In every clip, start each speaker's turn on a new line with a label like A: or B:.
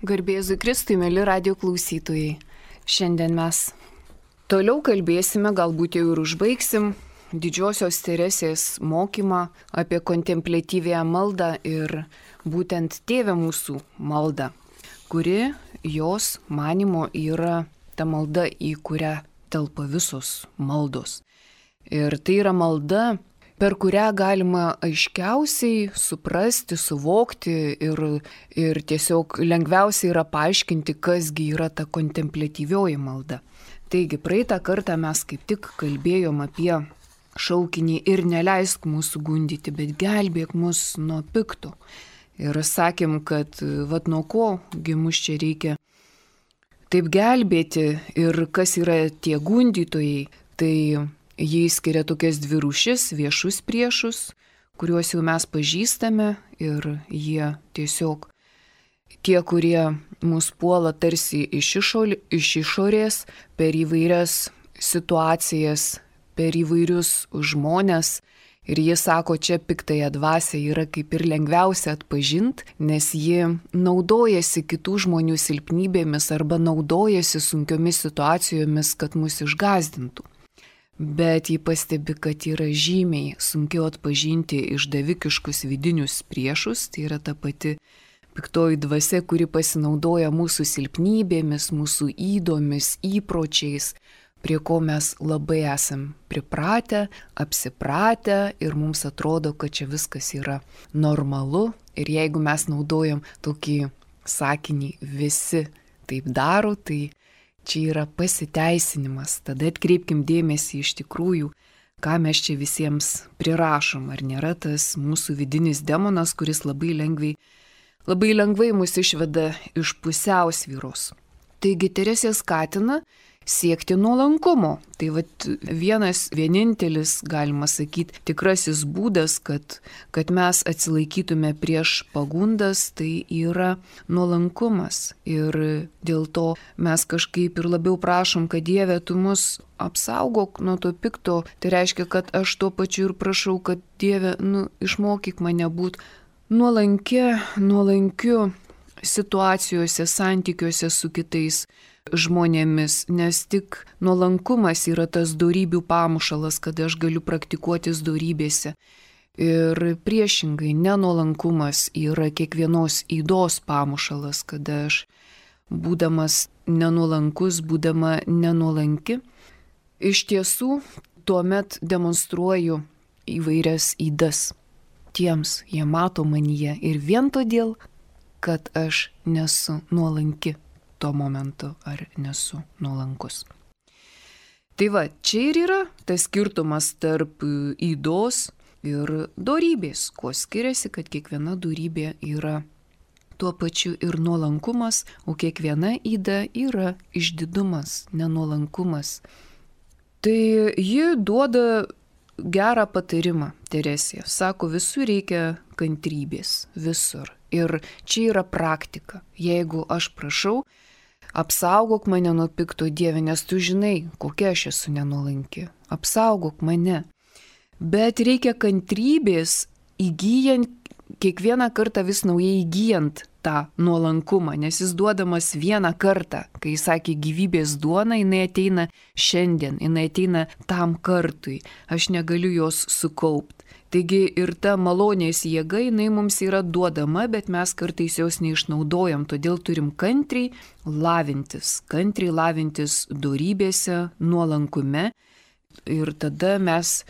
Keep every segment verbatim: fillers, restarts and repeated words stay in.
A: Garbėzui Kristui, mėly radio klausytojai. Šiandien mes toliau kalbėsime, galbūt jau ir užbaigsim didžiosios Teresės mokymą apie kontempliatyvėją maldą ir būtent Tėve mūsų maldą, kuri jos manymo yra ta malda, į kurią telpa visos maldos. Ir tai yra malda, per kurią galima aiškiausiai suprasti, suvokti ir, ir tiesiog lengviausiai yra paaiškinti, kasgi yra ta kontempliatyvioji malda. Taigi, praeitą kartą mes kaip tik kalbėjom apie šaukinį ir neleisk mūsų gundyti, bet gelbėk mus nuo pikto. Ir sakėm, kad vat nuo kogi mus čia reikia taip gelbėti ir kas yra tie gundytojai, tai jie skiria tokias dvi rūšis, viešus priešus, kuriuos jau mes pažįstame ir jie tiesiog tie, kurie mus puola tarsi iš, išorė, iš išorės, per įvairias situacijas, per įvairius žmonės. Ir jie sako, čia piktąją dvasią yra kaip ir lengviausia atpažinti, nes jie naudojasi kitų žmonių silpnybėmis arba naudojasi sunkiomis situacijomis, kad mus išgąsdintų. Bet jį pastebi, kad yra žymiai sunkiau atpažinti išdavikiškus vidinius priešus, tai yra ta pati piktoji dvasia, kuri pasinaudoja mūsų silpnybėmis, mūsų ydomis, įpročiais, prie ko mes labai esam pripratę, apsipratę ir mums atrodo, kad čia viskas yra normalu. Ir jeigu mes naudojam tokį sakinį visi taip daro, tai čia yra pasiteisinimas, tada atkreipkim dėmesį iš tikrųjų, ką mes čia visiems prirašom, ar nėra tas mūsų vidinis demonas, kuris labai lengvai, labai lengvai mus išveda iš pusiausvyros. Taigi Teresė skatina siekti nuolankumo. Tai vat vienas, vienintelis, galima sakyti, tikrasis būdas, kad, kad mes atsilaikytume prieš pagundas, tai yra nuolankumas. Ir dėl to mes kažkaip ir labiau prašom, kad Dieve, tu mus apsaugok nuo to pikto. Tai reiškia, kad aš tuo pačiu ir prašau, kad Dieve, nu, išmokyk mane būti nuolankia, nuolankiu situacijose, santykiuose su kitais žmonėmis, nes tik nuolankumas yra tas dorybių pamušalas, kada aš galiu praktikuotis dorybėse. Ir priešingai, nenuolankumas yra kiekvienos ydos pamušalas, kada aš, būdamas nenuolankus, būdama nenuolanki, iš tiesų tuomet demonstruoju įvairias ydas. Tiems jie mato manyje ir vien todėl, kad aš nesu nuolanki tuo momentu ar nesu nuolankus. Tai va, čia ir yra tas skirtumas tarp ydos ir dorybės, kuo skiriasi, kad kiekviena dorybė yra tuo pačiu ir nuolankumas, o kiekviena yda yra išdidumas, nenuolankumas. Tai ji duoda gerą patarimą, Teresė. Sako, visur reikia kantrybės, visur. Ir čia yra praktika. Jeigu aš prašau, apsaugok mane nuo pikto, Dieve, nes tu žinai, kokia aš esu nenuolanki. Apsaugok mane. Bet reikia kantrybės įgyjant, kiekvieną kartą vis naujai įgyjant tą nuolankumą, nes jis duodamas vieną kartą. Kai jis sakė gyvybės duona, jinai ateina šiandien, jinai ateina tam kartui. Aš negaliu jos sukaupti. Taigi ir ta malonės jėga, jinai mums yra duodama, bet mes kartais jos neišnaudojam, todėl turim kantriai lavintis, kantriai lavintis dorybėse, nuolankume ir tada mes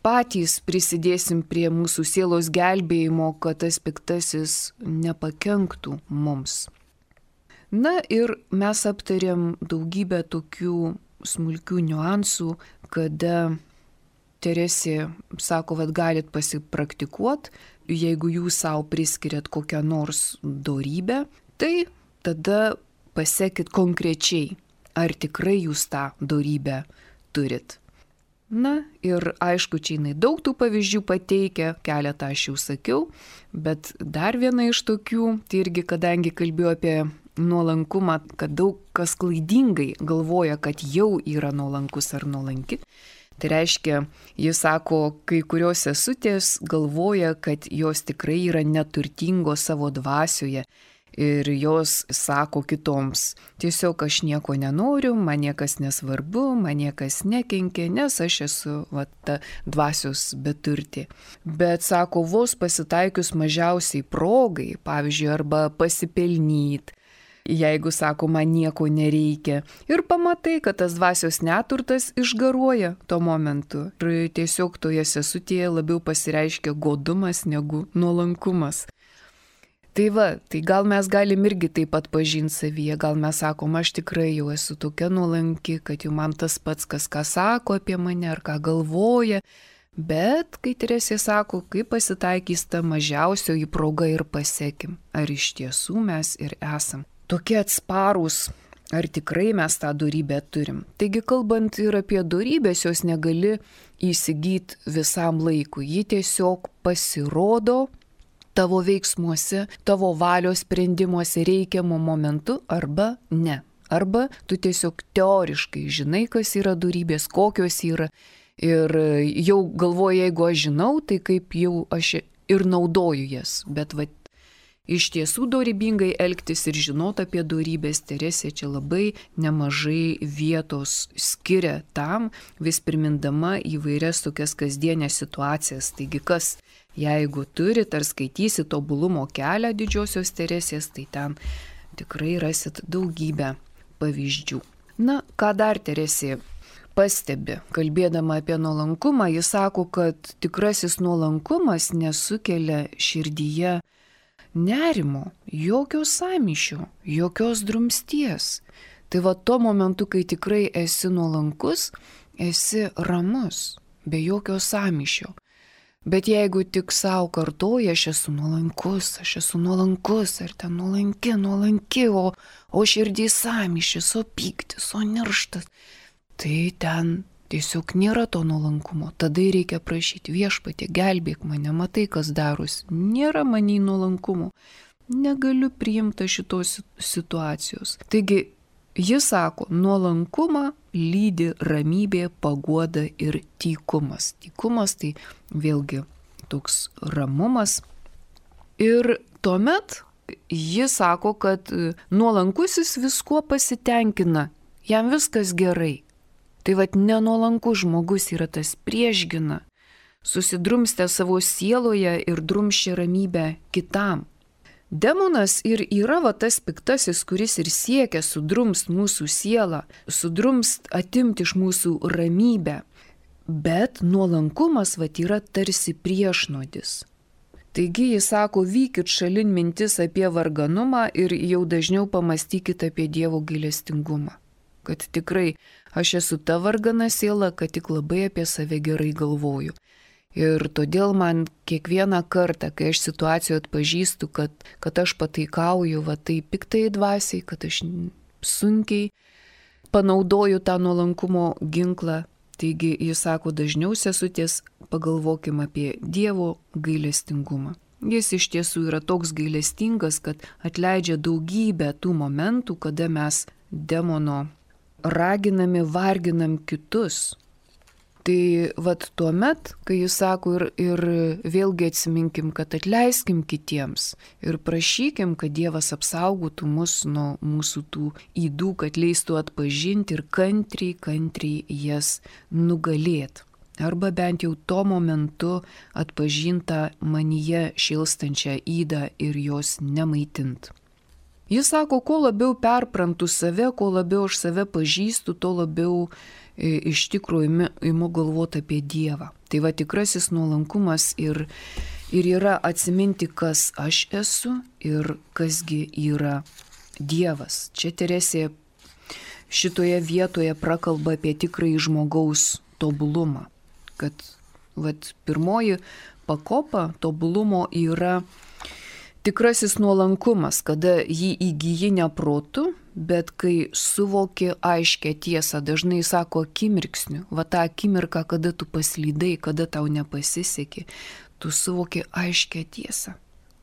A: patys prisidėsim prie mūsų sielos gelbėjimo, kad tas piktasis nepakenktų mums. Na ir mes aptarėm daugybę tokių smulkių niuansų, kada Teresė sako, kad galit pasipraktikuoti, jeigu jūs savo priskiriat kokią nors dorybę, tai tada pasekit konkrečiai, ar tikrai jūs tą dorybę turit. Na ir aišku, čia jinai daug tų pavyzdžių pateikia, keletą aš jau sakiau, bet dar viena iš tokių, tai irgi kadangi kalbėjau apie nuolankumą, kad daug kas klaidingai galvoja, kad jau yra nuolankus ar nuolanki. Tai reiškia, jis sako, kai kurios sesutės galvoja, kad jos tikrai yra neturtingos savo dvasioje Ir jos sako kitoms, tiesiog aš nieko nenoriu, man niekas nesvarbu, man niekas nekenkia, nes aš esu va, ta dvasios beturtė. Bet sako, vos pasitaikius mažiausiai progai, pavyzdžiui, arba pasipelnyt, jeigu sako, man nieko nereikia. Ir pamatai, kad tas dvasios neturtas išgaruoja tuo momentu. Ir tiesiog toje sesutėje labiau pasireiškia godumas negu nuolankumas. Tai va, tai gal mes galim irgi taip pat pažinti savyje, gal mes sakom, aš tikrai jau esu tokia nuolanki, kad jau man tas pats, kas ką sako apie mane ar ką galvoja, bet kai Teresė sako, kai pasitaikys ta mažiausioji proga ir pasekim, ar iš tiesų mes ir esam tokie atsparūs, ar tikrai mes tą dorybę turim. Taigi kalbant ir apie dorybės, jos negali įsigyti visam laikui, ji tiesiog pasirodo tavo veiksmuose, tavo valios sprendimuose reikiamų momentų arba ne. Arba tu tiesiog teoriškai žinai, kas yra dorybės, kokios yra. Ir jau galvoju, jeigu aš žinau, tai kaip jau aš ir naudoju jas. Bet va, iš tiesų dorybingai elgtis ir žinot apie dorybės, Teresė čia labai nemažai vietos skiria tam, vis primindama įvairias tokias kasdienės situacijas. Taigi kas, jeigu turit ar skaitysit tobulumo kelią didžiosios Teresės, tai ten tikrai rasit daugybę pavyzdžių. Na, ką dar Teresė pastebi, kalbėdama apie nuolankumą, jis sako, kad tikrasis nuolankumas nesukelia širdyje nerimo, jokio sąmyšio, jokios drumsties. Tai va tuo momentu, kai tikrai esi nuolankus, esi ramus, be jokio sąmyšio. Bet jeigu tik savo kartoja, aš esu nuolankus, aš esu nuolankus, ar ten nuolanki, nuolanki, o, o širdį sąmyšis, o pyktis, o nirštas, tai ten tiesiog nėra to nuolankumo. Tada reikia prašyti, Viešpatie, gelbėk mane, matai, kas darosi. Nėra manį nuolankumo. Negaliu priimti šitos situacijos. Taigi, jis sako, nuolankumą lydi ramybė, paguoda ir tykumas. Tykumas tai vėlgi toks ramumas. Ir tuomet jis sako, kad nuolankusis viskuo pasitenkina, jam viskas gerai. Tai vad nenuolankus žmogus yra tas priešgina, susidrumstę savo sieloje ir drumščia ramybę kitam. Demonas ir yra va tas piktasis, kuris ir siekia sudrumst mūsų sielą, sudrumst atimti iš mūsų ramybę. Bet nuolankumas va yra tarsi priešnodis. Taigi jis sako, vykit šalin mintis apie varganumą ir jau dažniau pamastykit apie Dievo gailestingumą. Kad tikrai aš esu ta vargana siela, kad tik labai apie save gerai galvoju. Ir todėl man kiekvieną kartą, kai aš situacijoje atpažįstu, kad, kad aš pataikauju, va tai piktai dvasiai, kad aš sunkiai panaudoju tą nuolankumo ginklą, taigi jis sako, dažniau sesutės pagalvokim apie Dievo gailestingumą. Jis iš tiesų yra toks gailestingas, kad atleidžia daugybę tų momentų, kada mes demono raginami, varginam kitus. Tai vat tuomet, kai jis sako ir, ir vėlgi atsiminkim, kad atleiskim kitiems ir prašykim, kad Dievas apsaugotų mus nuo mūsų tų ydų, kad leistų atpažinti ir kantriai, kantriai jas nugalėti. Arba bent jau tuo momentu atpažintą manyje šilstančią ydą ir jos nemaitint. Jis sako, kuo labiau perprantu save, kuo labiau aš save pažįstu, tuo labiau e, iš tikrųjų imu galvoti apie Dievą. Tai va tikrasis nuolankumas ir, ir yra atsiminti, kas aš esu ir kasgi yra Dievas. Čia Teresė šitoje vietoje prakalba apie tikrąjį žmogaus tobulumą. Kad vat, pirmoji pakopa tobulumo yra tikrasis nuolankumas, kada jį įgyji ne protu, bet kai suvoki aiškę tiesą, dažnai sako akimirksniu, va tą akimirką, kada tu paslydai, kada tau nepasisekė, tu suvoki aiškę tiesą.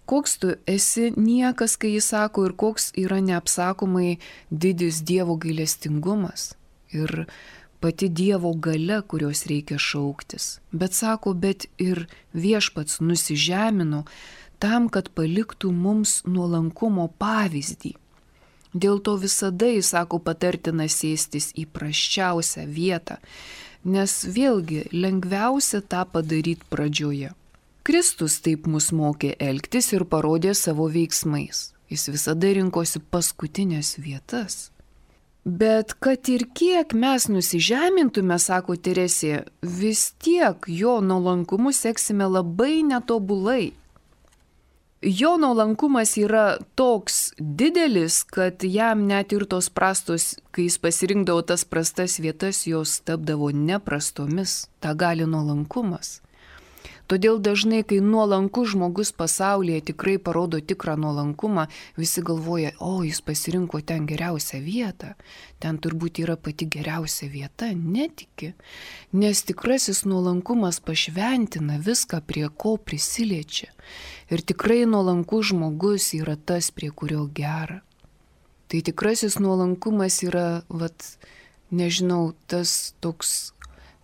A: Koks tu esi niekas, kai jis sako, ir koks yra neapsakomai didis Dievo gailestingumas ir pati Dievo galia, kurios reikia šauktis. Bet sako, bet ir Viešpats nusižemino tam, kad paliktų mums nuolankumo pavyzdį. Dėl to visada, jis sako, patartina sėstis į prasčiausią vietą, nes vėlgi lengviausia tą padaryti pradžioje. Kristus taip mus mokė elgtis ir parodė savo veiksmais. Jis visada rinkosi paskutinės vietas. Bet kad ir kiek mes nusižemintume, sako Teresė, vis tiek jo nuolankumu seksime labai netobulai. Jo nuolankumas yra toks didelis, kad jam net ir tos prastos, kai jis pasirinkdavo tas prastas vietas, jos tapdavo neprastomis. Ta gali nuolankumas. Todėl dažnai, kai nuolankus žmogus pasaulyje tikrai parodo tikrą nuolankumą, visi galvoja, o jis pasirinko ten geriausią vietą, ten turbūt yra pati geriausia vieta, netiki. Nes tikrasis nuolankumas pašventina viską, prie ko prisiliečia. Ir tikrai nuolankus žmogus yra tas, prie kurio gera. Tai tikrasis nuolankumas yra, vat, nežinau, tas toks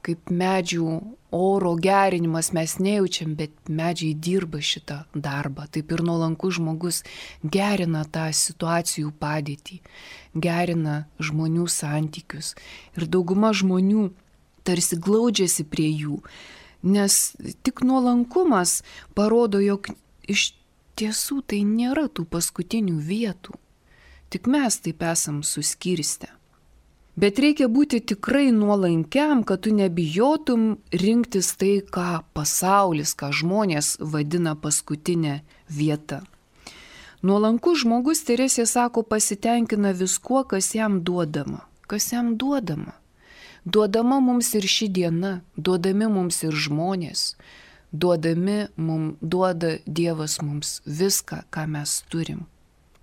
A: kaip medžių oro gerinimas, mes nejaučiam, bet medžiai dirba šitą darbą. Taip ir nuolankus žmogus gerina tą situacijų padėtį, gerina žmonių santykius. Ir dauguma žmonių tarsi glaudžiasi prie jų, nes tik nuolankumas parodo, jog iš tiesų tai nėra tų paskutinių vietų. Tik mes taip esam suskirstę. Bet reikia būti tikrai nuolankiam, kad tu nebijotum rinktis tai, ką pasaulis, ką žmonės vadina paskutinė vieta. Nuolankus žmogus, Teresė sako, pasitenkina viskuo, kas jam duodama. Kas jam duodama? Duodama mums ir ši diena, duodami mums ir žmonės, duodami mums, duoda Dievas mums viską, ką mes turim.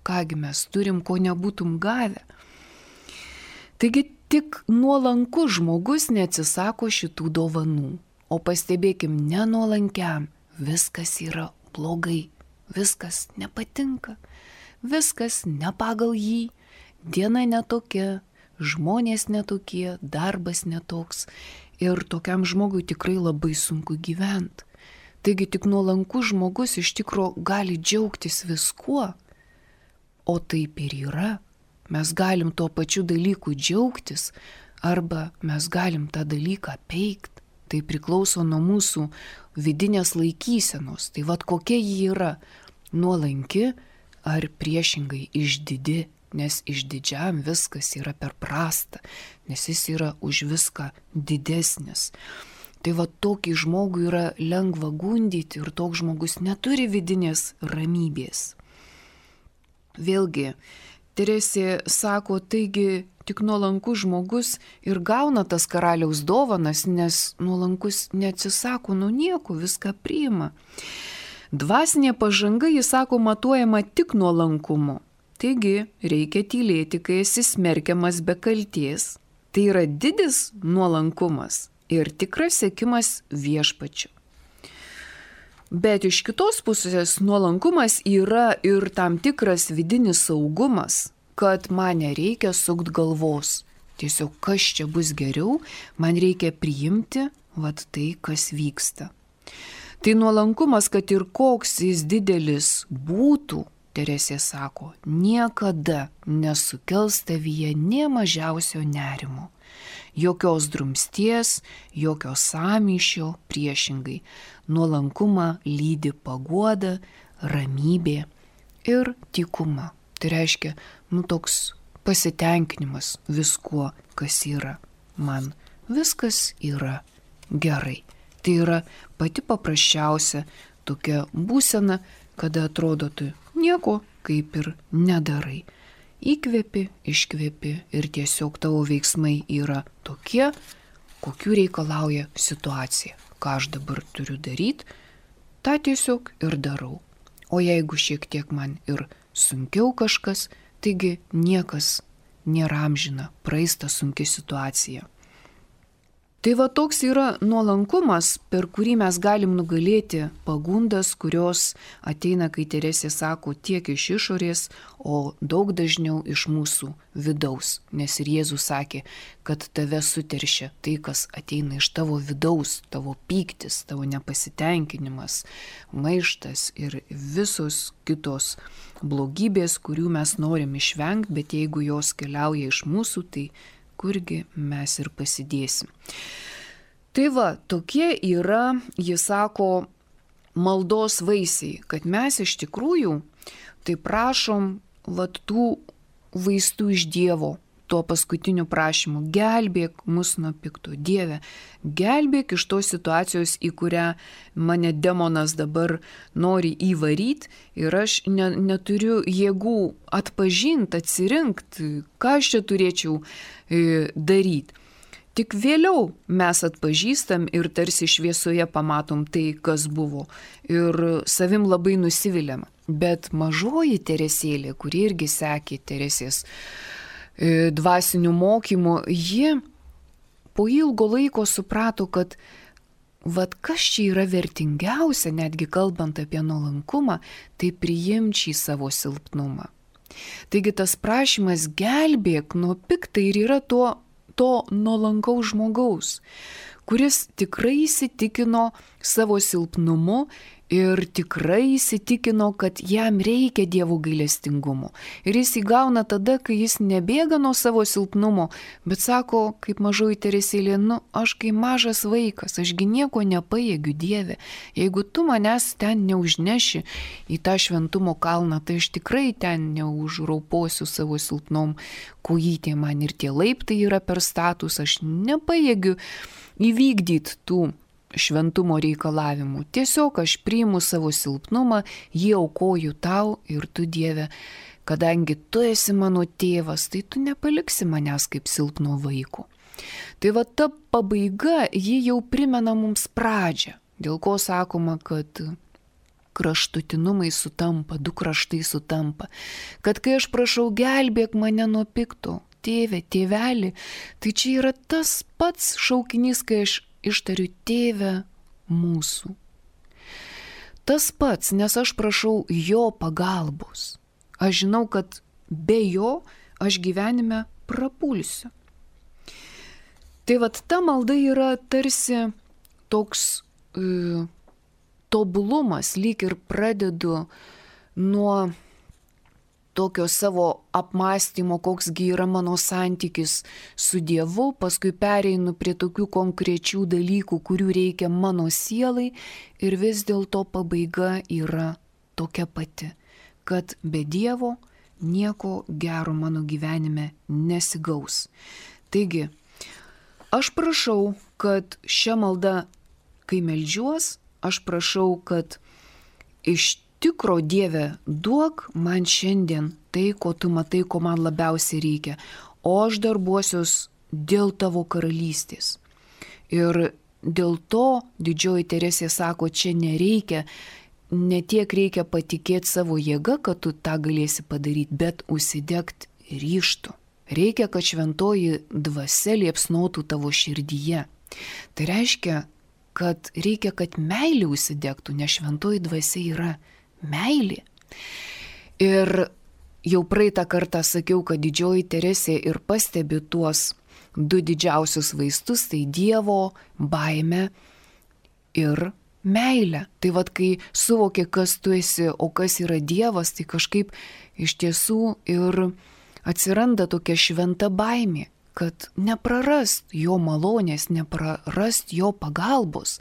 A: Kągi mes turim, ko nebūtum gavę. Taigi tik nuolankus žmogus neatsisako šitų dovanų, o pastebėkim, nenuolankiam viskas yra blogai, viskas nepatinka, viskas ne pagal jį, diena netokia, žmonės netokie, darbas netoks ir tokiam žmogui tikrai labai sunku gyventi. Taigi tik nuolankus žmogus iš tikro gali džiaugtis viskuo, o taip ir yra. Mes galim tuo pačiu dalyku džiaugtis, arba mes galim tą dalyką peikti. Tai priklauso nuo mūsų vidinės laikysenos. Tai vad kokia ji yra, nuolanki ar priešingai išdidi, nes išdidžiam viskas yra per prasta, nes jis yra už viską didesnis. Tai vad tokį žmogų yra lengva gundyti ir toks žmogus neturi vidinės ramybės. Vėlgi, Teresė sako, taigi tik nuolankus žmogus ir gauna tas karaliaus dovanas, nes nuolankus neatsisako nuo nieko, viską priima. Dvasinė pažanga, jis sako, matuojama tik nuolankumu. Taigi reikia tylėti, kai esi smerkiamas be kalties. Tai yra didis nuolankumas ir tikras sekimas viešpačiu. Bet iš kitos pusės nuolankumas yra ir tam tikras vidinis saugumas, kad man nereikia sukt galvos. Tiesiog kas čia bus geriau, man reikia priimti vat tai, kas vyksta. Tai nuolankumas, kad ir koks jis didelis būtų, Teresė sako, niekada nesukels tavyje nė mažiausio nerimo. Jokios drumsties, jokio sąmyšio, priešingai. Nuolankumą lydi paguoda, ramybė ir tykuma. Tai reiškia, nu toks pasitenkinimas viskuo, kas yra. Man viskas yra gerai. Tai yra pati paprasčiausia tokia būsena, kada atrodo tu nieko kaip ir nedarai. Įkvepi, iškvepi ir tiesiog tavo veiksmai yra tokie, kokių reikalauja situacija. Ką aš dabar turiu daryti, tą tiesiog ir darau. O jeigu šiek tiek man ir sunkiau kažkas, taigi niekas nėra amžina, praeis ta sunki situacija. Tai va toks yra nuolankumas, per kurį mes galim nugalėti pagundas, kurios ateina, kai Teresė sako, tiek iš išorės, o daug dažniau iš mūsų vidaus. Nes ir Jėzus sakė, kad tave suteršia tai, kas ateina iš tavo vidaus, tavo pyktis, tavo nepasitenkinimas, maištas ir visos kitos blogybės, kurių mes norim išvengti, bet jeigu jos keliauja iš mūsų, tai kurgi mes ir pasidėsim. Tai va, tokie yra, jis sako, maldos vaisiai, kad mes iš tikrųjų tai prašom vat tų vaistų iš Dievo, tuo paskutiniu prašymu, gelbėk mus nuo pikto. Dieve, gelbėk iš tos situacijos, į kurią mane demonas dabar nori įvaryti ir aš ne, neturiu jėgų atpažinti, atsirinkti, ką aš čia turėčiau e, daryti. Tik vėliau mes atpažįstam ir tarsi šviesoje pamatom tai, kas buvo. Ir savim labai nusiviliam. Bet mažoji Teresėlė, kuri irgi sekė Teresės e, dvasinių mokymų, ji po ilgo laiko suprato, kad vat kas čia yra vertingiausia, netgi kalbant apie nuolankumą, tai priimti šį savo silpnumą. Taigi tas prašymas gelbėk nuo piktai ir yra tuo to nuolankaus žmogaus, kuris tikrai įsitikino savo silpnumu ir tikrai įsitikino, kad jam reikia Dievo gailestingumo. Ir jis įgauna tada, kai jis nebėga nuo savo silpnumo, bet sako, kaip mažoji Teresėlė, nu, aš kai mažas vaikas, ašgi nieko nepajėgiu, Dieve. Jeigu tu manęs ten neužneši į tą šventumo kalną, tai aš tikrai ten neužrauposiu savo silpnom kojytėm, man ir tie laiptai yra per status, aš nepajėgiu įvykdyti tų šventumo reikalavimų. Tiesiog aš priimu savo silpnumą, jį aukoju tau ir tu, Dieve, kadangi tu esi mano tėvas, tai tu nepaliksi manęs kaip silpno vaiko. Tai va ta pabaiga, ji jau primena mums pradžią, dėl ko sakoma, kad kraštutinumai sutampa, du kraštai sutampa, kad kai aš prašau gelbėk mane nuo pikto, tėve, tėveli, tai čia yra tas pats šaukinys, kai aš ištariu tėve mūsų. Tas pats, nes aš prašau jo pagalbos. Aš žinau, kad be jo aš gyvenime prapulsiu. Tai vat ta malda yra tarsi toks e, tobulumas, lyg ir pradedu nuo tokio savo apmąstymo, koksgi yra mano santykis su Dievu, paskui pereinu prie tokių konkrečių dalykų, kurių reikia mano sielai ir vis dėlto pabaiga yra tokia pati, kad be Dievo nieko gero mano gyvenime nesigaus. Taigi, aš prašau, kad šią maldą, kai meldžiuos, aš prašau, kad iš tikro Dieve duok man šiandien tai, ko tu matai, ko man labiausiai reikia, o aš darbuosiuos dėl tavo karalystės. Ir dėl to didžioji Teresė sako, čia nereikia, ne tiek reikia patikėti savo jėgą, kad tu tą galėsi padaryti, bet užsidegti ryžtu. Reikia, kad šventoji dvasia liepsnotų tavo širdyje. Tai reiškia, kad reikia, kad meilė užsidegtų, nes šventoji dvasia yra meilė. Ir jau praeitą kartą sakiau, kad didžioji Teresė ir pastebi tuos du didžiausius vaistus, tai Dievo baimę ir meilę. Tai vad, kai suvoki, kas tu esi, o kas yra Dievas, tai kažkaip iš tiesų ir atsiranda tokia šventa baimė, kad neprarast jo malonės, neprarast jo pagalbos.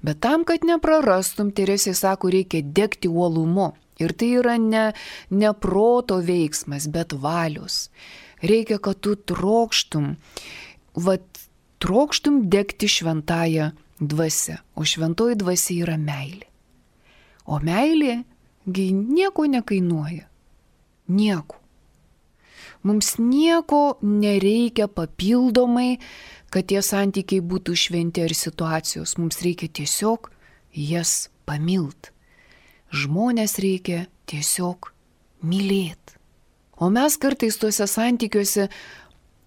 A: Bet tam, kad neprarastum, Teresė sako, reikia degti uolumu. Ir tai yra ne, ne proto veiksmas, bet valios. Reikia, kad tu trokštum, vat, trokštum degti šventąją dvasią. O šventoji dvasia yra meilė. O meilė gi nieko nekainuoja. Nieko. Mums nieko nereikia papildomai, kad tie santykiai būtų šventi ar situacijos. Mums reikia tiesiog jas pamilt. Žmonės reikia tiesiog mylėti. O mes kartais tuose santykiuose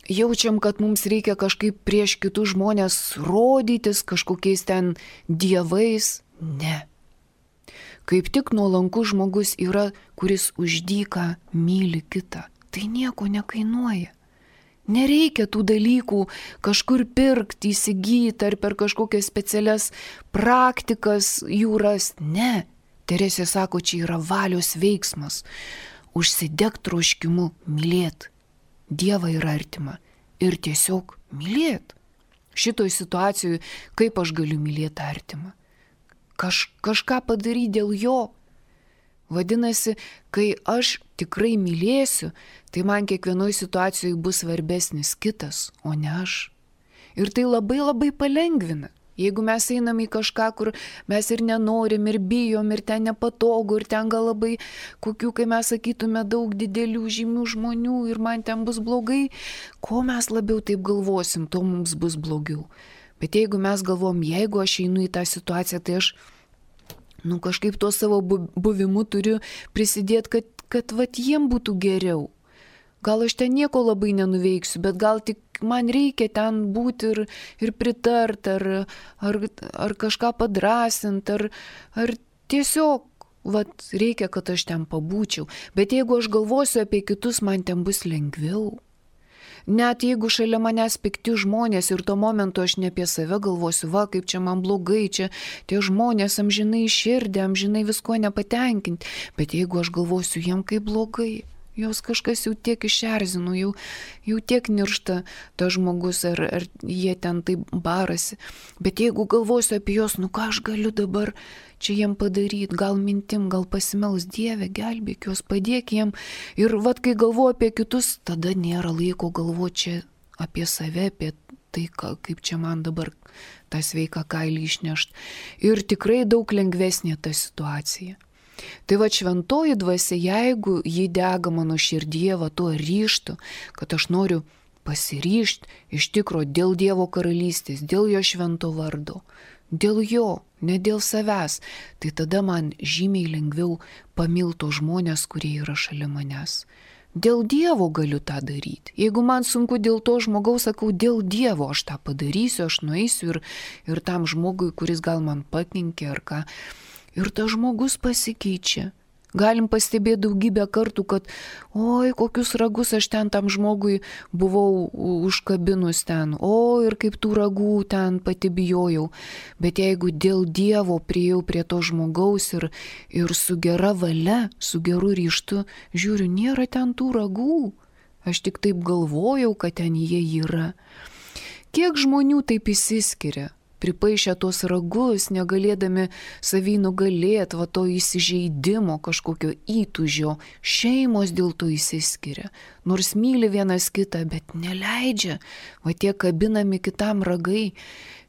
A: jaučiam, kad mums reikia kažkaip prieš kitus žmonės rodytis kažkokiais ten dievais. Ne. Kaip tik nuolankus žmogus yra, kuris už dyką myli kitą. Tai nieko nekainuoja. Nereikia tų dalykų kažkur pirkti, įsigyti ar per kažkokias specialias praktikas jų rasti. Ne. Teresė sako, čia yra valios veiksmas. Užsidek troškimu mylėt Dievą ir artimą. Ir tiesiog mylėt. Šitoj situacijoje, kaip aš galiu mylėti artimą? Kaž, kažką padaryti dėl jo. Vadinasi, kai aš tikrai mylėsiu, tai man kiekvienoje situacijoje bus svarbesnis kitas, o ne aš. Ir tai labai labai palengvina. Jeigu mes einam į kažką, kur mes ir nenorim, ir bijom, ir ten nepatogu, ir ten gal labai kokių, kai mes sakytume, daug didelių žymių žmonių ir man ten bus blogai, ko mes labiau taip galvosim, to mums bus blogiau. Bet jeigu mes galvom, jeigu aš einu į tą situaciją, tai aš nu, kažkaip tuo savo buvimu turiu prisidėti, kad, kad vat, jiem būtų geriau. Gal aš ten nieko labai nenuveiksiu, bet gal tik man reikia ten būti ir, ir pritart, ar, ar, ar kažką padrasint, ar, ar tiesiog vat, reikia, kad aš ten pabūčiau. Bet jeigu aš galvosiu apie kitus, man ten bus lengviau. Net jeigu šalia manęs pikti žmonės ir tuo momentu aš ne apie save galvosiu, va, kaip čia man blogai, čia tie žmonės amžinai širdė, amžinai visko nepatenkinti. Bet jeigu aš galvosiu, jiem kaip blogai. Jos kažkas jau tiek išerzino, jau, jau tiek niršta tas žmogus, ar, ar jie ten taip barasi. Bet jeigu galvosiu apie juos, nu ką aš galiu dabar čia jiem padaryti, gal mintim, gal pasimels, Dieve, gelbėk juos, padėk jiem. Ir vat, kai galvoju apie kitus, tada nėra laiko galvoti čia apie save, apie tai, kaip čia man dabar tą sveiką kailį išnešti. Ir tikrai daug lengvesnė ta situacija. Tai va šventoji dvasia, jeigu ji dega mano širdyje, va tuo ryžtu, kad aš noriu pasiryžti iš tikro dėl Dievo karalystės, dėl jo švento vardo, dėl jo, ne dėl savęs, tai tada man žymiai lengviau pamilto žmonės, kurie yra šalia manęs. Dėl Dievo galiu tą daryti. Jeigu man sunku dėl to žmogaus, sakau, dėl Dievo aš tą padarysiu, aš nueisiu ir, ir tam žmogui, kuris gal man pakenkė ar ką. Ir tas žmogus pasikeičia. Galim pastebėti daugybę kartų, kad oi, kokius ragus aš ten tam žmogui buvau užkabinus ten, o ir kaip tų ragų ten pati bijojau. Bet jeigu dėl Dievo priėjau prie to žmogaus ir, ir su gera valia, su geru ryžtu, žiūriu, nėra ten tų ragų. Aš tik taip galvojau, kad ten jie yra. Kiek žmonių taip įsiskiria? Pripaišę tos ragus, negalėdami savį nugalėti, va to įsižeidimo, kažkokio įtūžio, šeimos dėl to įsiskiria. Nors myli vienas kitą, bet neleidžia, va tie kabinami kitam ragai,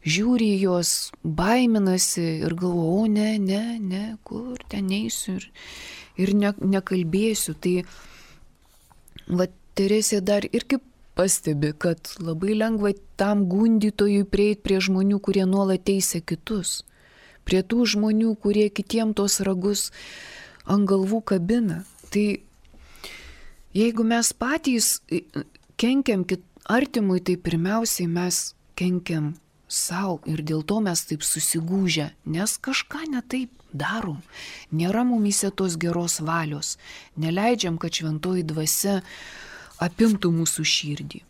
A: žiūri juos, baiminasi ir galvoja, o ne, ne, ne, kur ten eisiu ir, ir ne, nekalbėsiu. Tai va Teresė dar irgi pastebi, kad labai lengva tam gundytojui prieiti prie žmonių, kurie nuolat teisia kitus. Prie tų žmonių, kurie kitiem tos ragus ant galvų kabina. Tai jeigu mes patys kenkiam artimui, tai pirmiausiai mes kenkiam savo ir dėl to mes taip susigūžę, nes kažką ne taip darom. Nėra mumyse tos geros valios. Neleidžiam, kad šventoji dvasia apimtų mūsų širdį.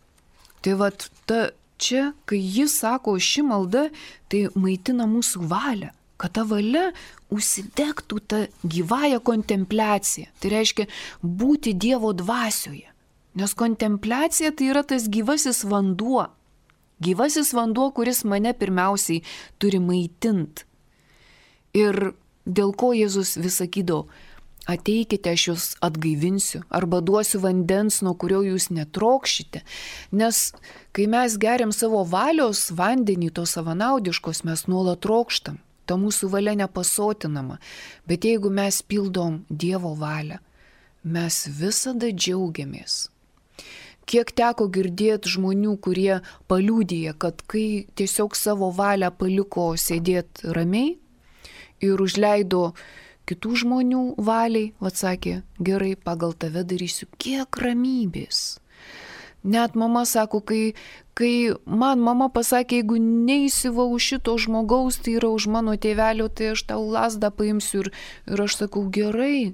A: Tai vat ta, čia, kai jis sako ši malda, tai maitina mūsų valią, kad ta valia užsidegtų tą gyvąją kontempliaciją. Tai reiškia būti Dievo dvasioje. Nes kontempliacija tai yra tas gyvasis vanduo. Gyvasis vanduo, kuris mane pirmiausiai turi maitint. Ir dėl ko Jėzus vis sakydavo, ateikite, aš jūs atgaivinsiu, arba duosiu vandens, nuo kurio jūs netrokšite. Nes kai mes geriam savo valios vandenį, to savanaudiškos, mes nuolat trokštam, ta mūsų valia nepasotinama. Bet jeigu mes pildom Dievo valią, mes visada džiaugiamės. Kiek teko girdėti žmonių, kurie paliudija, kad kai tiesiog savo valią paliko sėdėti ramiai ir užleido kitų žmonių valiai, atsakė, gerai, pagal tave darysiu, kiek ramybės. Net mama sako, kai, kai man mama pasakė, jeigu neįsiva už šito žmogaus, tai yra už mano tėvelio, tai aš tau lasdą paimsiu ir, ir aš sakau, gerai,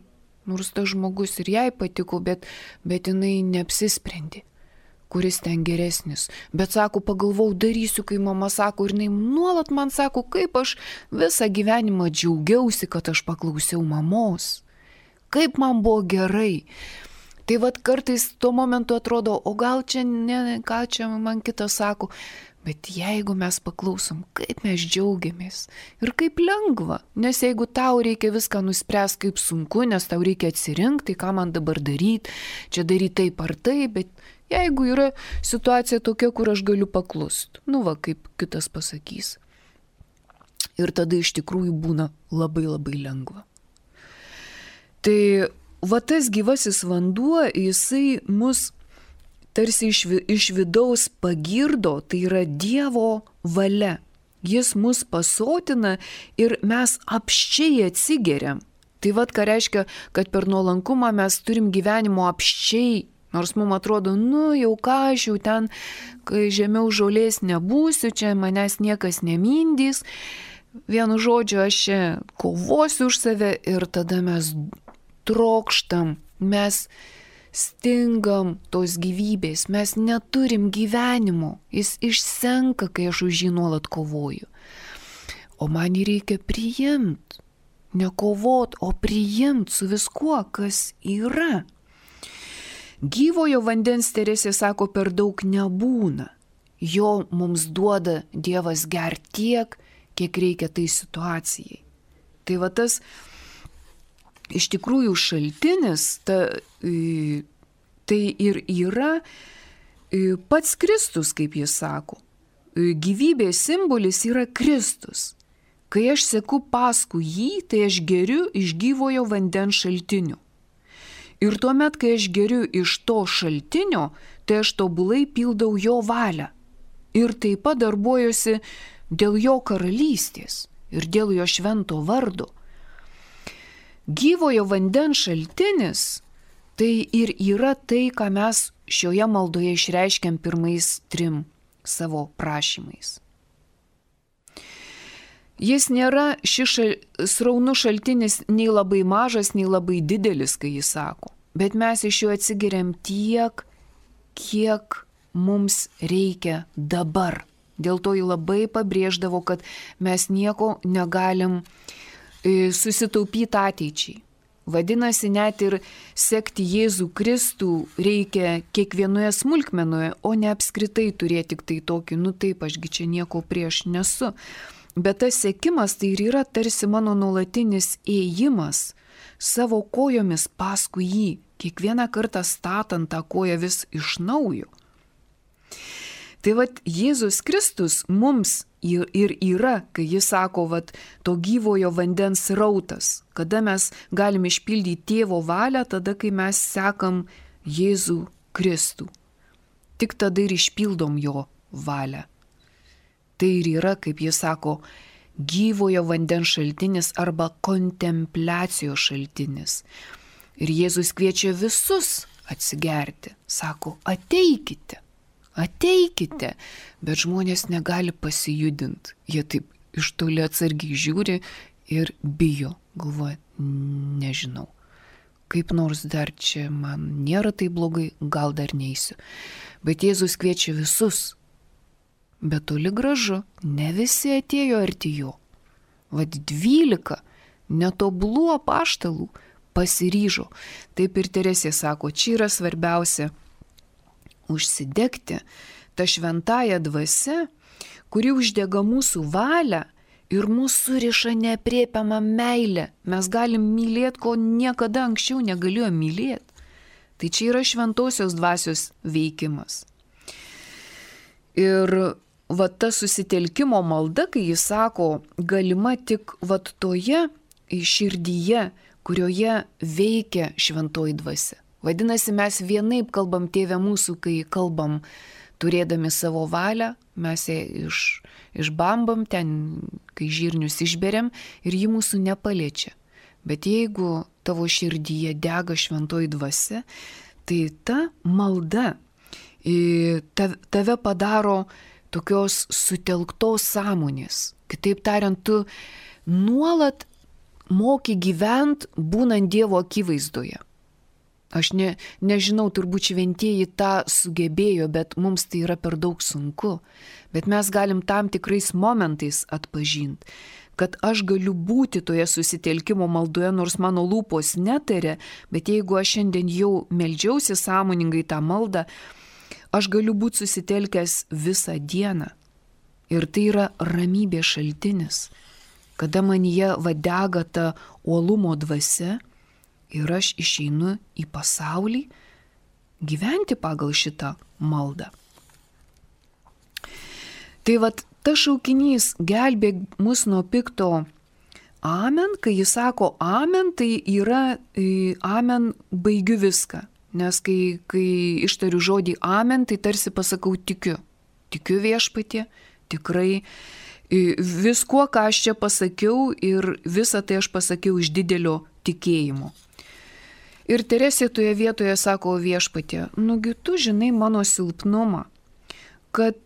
A: nors tas žmogus ir jai patiko, bet, bet jinai neapsisprendė, kuris ten geresnis. Bet sako, pagalvau, darysiu, kai mama sako, ir jinai nuolat man sako, kaip aš visą gyvenimą džiaugiausi, kad aš paklausiau mamos. Kaip man buvo gerai. Tai vad kartais tuo momentu atrodo, o gal čia ne, ką čia man kitas sako, bet jeigu mes paklausom, kaip mes džiaugiamės ir kaip lengva, nes jeigu tau reikia viską nuspręsti, kaip sunku, nes tau reikia atsirinkti, tai ką man dabar daryti, čia daryti taip ar taip, bet jeigu yra situacija tokia, kur aš galiu paklusti, nu va, kaip kitas pasakys. Ir tada iš tikrųjų būna labai labai lengva. Tai va tas gyvasis vanduo, jisai mus tarsi iš, iš vidaus pagirdo, tai yra Dievo valia. Jis mus pasotina ir mes apščiai atsigeriam. Tai vad ką reiškia, kad per nuolankumą mes turim gyvenimo apščiai, nors mums atrodo, nu jau ką aš jau ten, kai žemiau žolės nebūsiu, čia manęs niekas nemindys, vienu žodžiu aš čia kovosiu už save ir tada mes trokštam, mes stingam tos gyvybės, mes neturim gyvenimo, jis išsenka, kai aš už jį nuolat kovoju. O man jį reikia priimti, ne kovot, o priimti su viskuo, kas yra. Gyvojo vandens, Teresė sako, per daug nebūna. Jo mums duoda Dievas gert tiek, kiek reikia tai situacijai. Tai va tas iš tikrųjų šaltinis, ta, tai ir yra pats Kristus, kaip jis sako. Gyvybės simbolis yra Kristus. Kai aš seku paskui jį, tai aš geriu iš gyvojo vandens šaltinio. Ir tuomet, kai aš geriu iš to šaltinio, tai aš tobulai pildau jo valią. Ir taip pat darbuojuosi dėl jo karalystės ir dėl jo švento vardo. Gyvojo vandens šaltinis tai ir yra tai, ką mes šioje maldoje išreiškiam pirmais trim savo prašymais. Jis nėra šis šal, sraunus šaltinis nei labai mažas, nei labai didelis, kai jis sako, bet mes iš jo atsigeriam tiek, kiek mums reikia dabar. Dėl to jį labai pabrėždavo, kad mes nieko negalim susitaupyti ateičiai. Vadinasi, net ir sekti Jėzų Kristų reikia kiekvienoje smulkmenoje, o ne apskritai turėti tik tai tokį, nu taip, ašgi čia nieko prieš nesu. Bet tas sekimas tai ir yra tarsi mano nuolatinis ėjimas savo kojomis paskui jį, kiekvieną kartą statant tą koją vis iš naujo. Tai vat Jėzus Kristus mums ir yra, kai jis sako, vat, to gyvojo vandens rautas, kada mes galim išpildyti tėvo valią, tada, kai mes sekam Jėzų Kristų. Tik tada ir išpildom jo valią. Tai ir yra, kaip jis sako, gyvojo vandens šaltinis arba kontempliacijos šaltinis. Ir Jėzus kviečia visus atsigerti. Sako, ateikite. Ateikite, bet žmonės negali pasijudinti. Jie taip iš toli atsargiai žiūri ir bijo, galvoja, nežinau. Kaip nors dar čia man nėra tai blogai, gal dar neisiu. Bet Jėzus kviečia visus. Bet toli gražu, ne visi atėjo arti jo. Vat dvylika netobulų apaštalų pasiryžo. Taip ir Teresė sako, čia yra svarbiausia užsidegti tą šventąją dvasią, kuri uždega mūsų valią ir mūsų suriša neaprėpiamą meilę. Mes galim mylėti, ko niekada anksčiau negalėjome mylėti. Tai čia yra šventosios dvasios veikimas. Ir va ta susitelkimo malda, kai jis sako, galima tik va toje širdyje, kurioje veikia šventoji dvasia. Vadinasi, mes vienaip kalbam Tėve mūsų, kai kalbam turėdami savo valią, mes ją iš, išbambam ten, kai žirnius išberiam ir ji mūsų nepaliečia. Bet jeigu tavo širdyje dega šventoji dvasia, tai ta malda, tave padaro tokios sutelktos sąmonės. Kitaip tariant, tu nuolat moki gyvent būnant Dievo akivaizdoje. Aš ne, nežinau, turbūt šventieji tą sugebėjo, bet mums tai yra per daug sunku. Bet mes galim tam tikrais momentais atpažinti, kad aš galiu būti toje susitelkimo maldoje, nors mano lūpos netarė, bet jeigu aš šiandien jau meldžiausi sąmoningai tą maldą, aš galiu būti susitelkęs visą dieną. Ir tai yra ramybės šaltinis, kada manyje vadega ta uolumo dvasia ir aš išeinu į pasaulį gyventi pagal šitą maldą. Tai vat tas šaukinys gelbėk mus nuo pikto amen, kai jis sako amen, tai yra amen baigiu viską. Nes kai, kai ištariu žodį amen, tai tarsi pasakau tikiu. Tikiu viešpatie, tikrai viskuo, ką aš čia pasakiau ir visą tai aš pasakiau iš didelio tikėjimo. Ir Teresė toje vietoje sako viešpatie, nugi tu žinai mano silpnumą, kad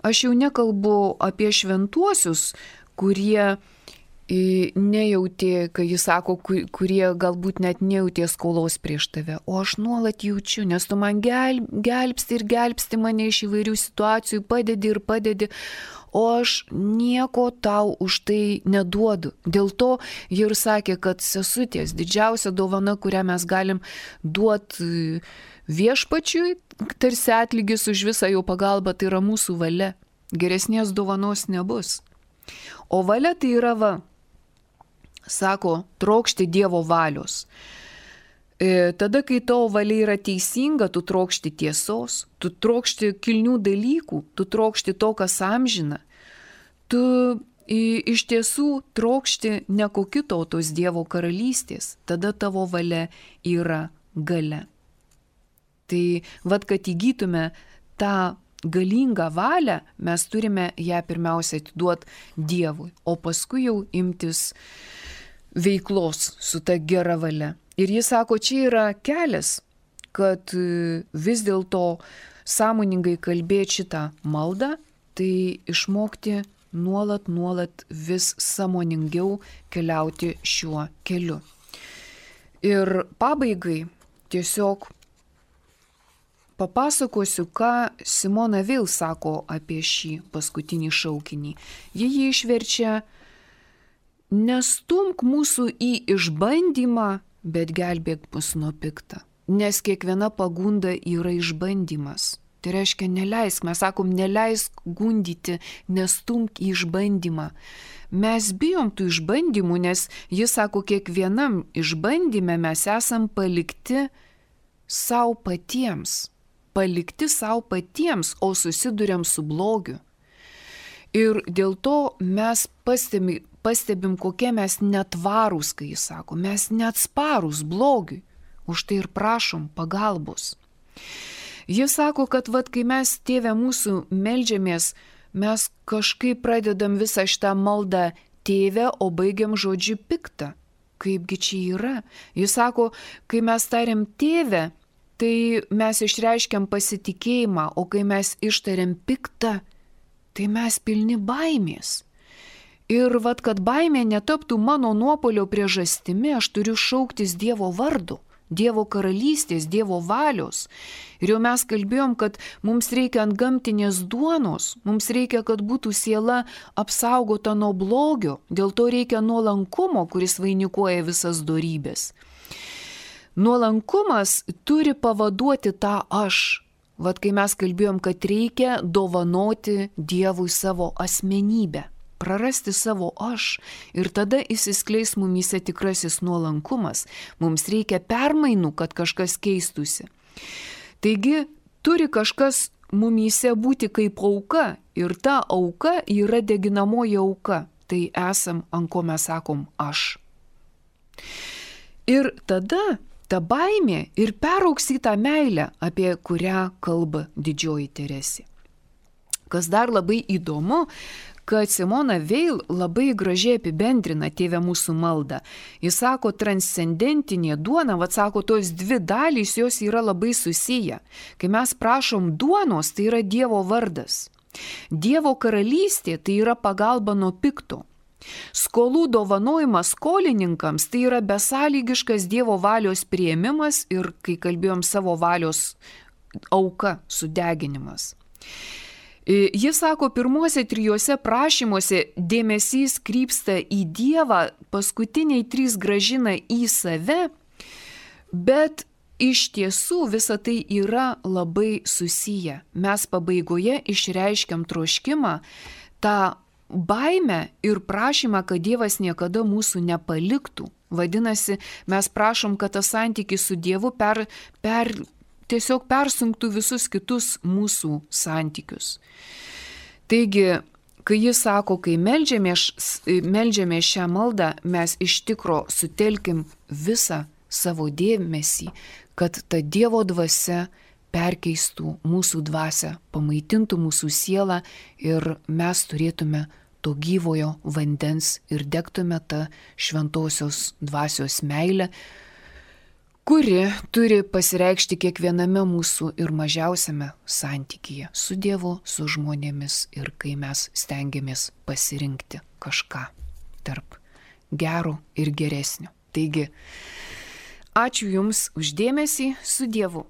A: aš jau nekalbu apie šventuosius, kurie nejautė, kai jis sako, kurie galbūt net nejautė skolos prieš tave, o aš nuolat jaučiu, nes tu man gelb, gelbsti ir gelbsti mane iš įvairių situacijų, padedi ir padedi, o aš nieko tau už tai neduodu. Dėl to jie ir sakė, kad sesutės didžiausia dovana, kurią mes galim duoti viešpačiui, tarsi atlygis už visą jo pagalbą, tai yra mūsų valia. Geresnės dovanos nebus. O valia tai yra va, sako, trokšti Dievo valios. E, tada, kai tavo valia yra teisinga, tu trokšti tiesos, tu trokšti kilnių dalykų, tu trokšti to, kas amžina. Tu i, iš tiesų trokšti ne ko kito, o tos Dievo karalystės. Tada tavo valia yra galia. Tai vad, kad įgytume tą galingą valią, mes turime ją pirmiausia atiduoti Dievui, o paskui jau imtis veiklos su ta gera valia. Ir jis sako, čia yra kelias, kad vis dėlto sąmoningai kalbėti šitą maldą, tai išmokti nuolat, nuolat vis sąmoningiau keliauti šiuo keliu. Ir pabaigai tiesiog papasakosiu, ką Simona Veil sako apie šį paskutinį šaukinį. Ji jį išverčia: nestumk mūsų į išbandymą, bet gelbėk mus nuo pikta. Nes kiekviena pagunda yra išbandymas. Tai reiškia, neleisk, mes sakom, neleisk gundyti, nestumk į išbandymą. Mes bijom tų išbandymų, nes jis sako, kiekvienam išbandyme mes esam palikti savo patiems. Palikti savo patiems, o susiduriam su blogiu. Ir dėl to mes pastebim, pastebim kokie mes netvarūs, kai jis sako, mes neatsparūs blogiui. Už tai ir prašom pagalbos. Jis sako, kad vat, kai mes Tėve mūsų meldžiamės, mes kažkaip pradedam visą šitą maldą Tėve, o baigiam žodžiu pikta. Kaipgi čia yra? Jis sako, kai mes tariam Tėve, tai mes išreiškiam pasitikėjimą, o kai mes ištariam pikta, tai mes pilni baimės. Ir vat, kad baimė netaptų mano nuopolio priežastimi, aš turiu šauktis Dievo vardu, Dievo karalystės, Dievo valios. Ir jau mes kalbėjom, kad mums reikia ant gamtinės duonos, mums reikia, kad būtų siela apsaugota nuo blogio, dėl to reikia nuolankumo, kuris vainikuoja visas dorybės. Nuolankumas turi pavaduoti tą aš. Vat kai mes kalbėjom, kad reikia dovanoti Dievui savo asmenybę, prarasti savo aš ir tada įsiskleis mumyse tikrasis nuolankumas. Mums reikia permainų, kad kažkas keistusi. Taigi turi kažkas mumyse būti kaip auka ir ta auka yra deginamoji auka. Tai esam, ant ko mes sakom aš. Ir tada ta baimė ir peraugs į tą meilę, apie kurią kalba didžioji Teresė. Kas dar labai įdomu, kad Simona Veil labai gražiai apibendrina Tėve mūsų maldą. Jis sako, transcendentinė duona, vad sako, tos dvi dalys jos yra labai susiję. Kai mes prašom duonos, tai yra Dievo vardas. Dievo karalystė tai yra pagalba nuo pikto. Skolų dovanojimas skolininkams tai yra besąlygiškas Dievo valios priėmimas ir, kai kalbėjom, savo valios auka, sudeginimas. Jis sako, pirmuose trijuose prašymuose dėmesys krypsta į Dievą, paskutiniai trys grąžina į save, bet iš tiesų visa tai yra labai susiję. Mes pabaigoje išreiškiam troškimą, tą baimę ir prašymą, kad Dievas niekada mūsų nepaliktų. Vadinasi, mes prašom, kad tas santykis su Dievu per, per, tiesiog persunktų visus kitus mūsų santykius. Taigi, kai jis sako, kai meldžiamės, meldžiamės šią maldą, mes iš tikro sutelkim visą savo dėmesį, kad ta Dievo dvasia perkeistų mūsų dvasią, pamaitintų mūsų sielą ir mes turėtume to gyvojo vandens ir degtume tą šventosios dvasios meilę, kuri turi pasireikšti kiekviename mūsų ir mažiausiame santykyje su Dievu, su žmonėmis ir kai mes stengiamės pasirinkti kažką tarp gero ir geresnio. Taigi, ačiū Jums už dėmesį, su Dievu.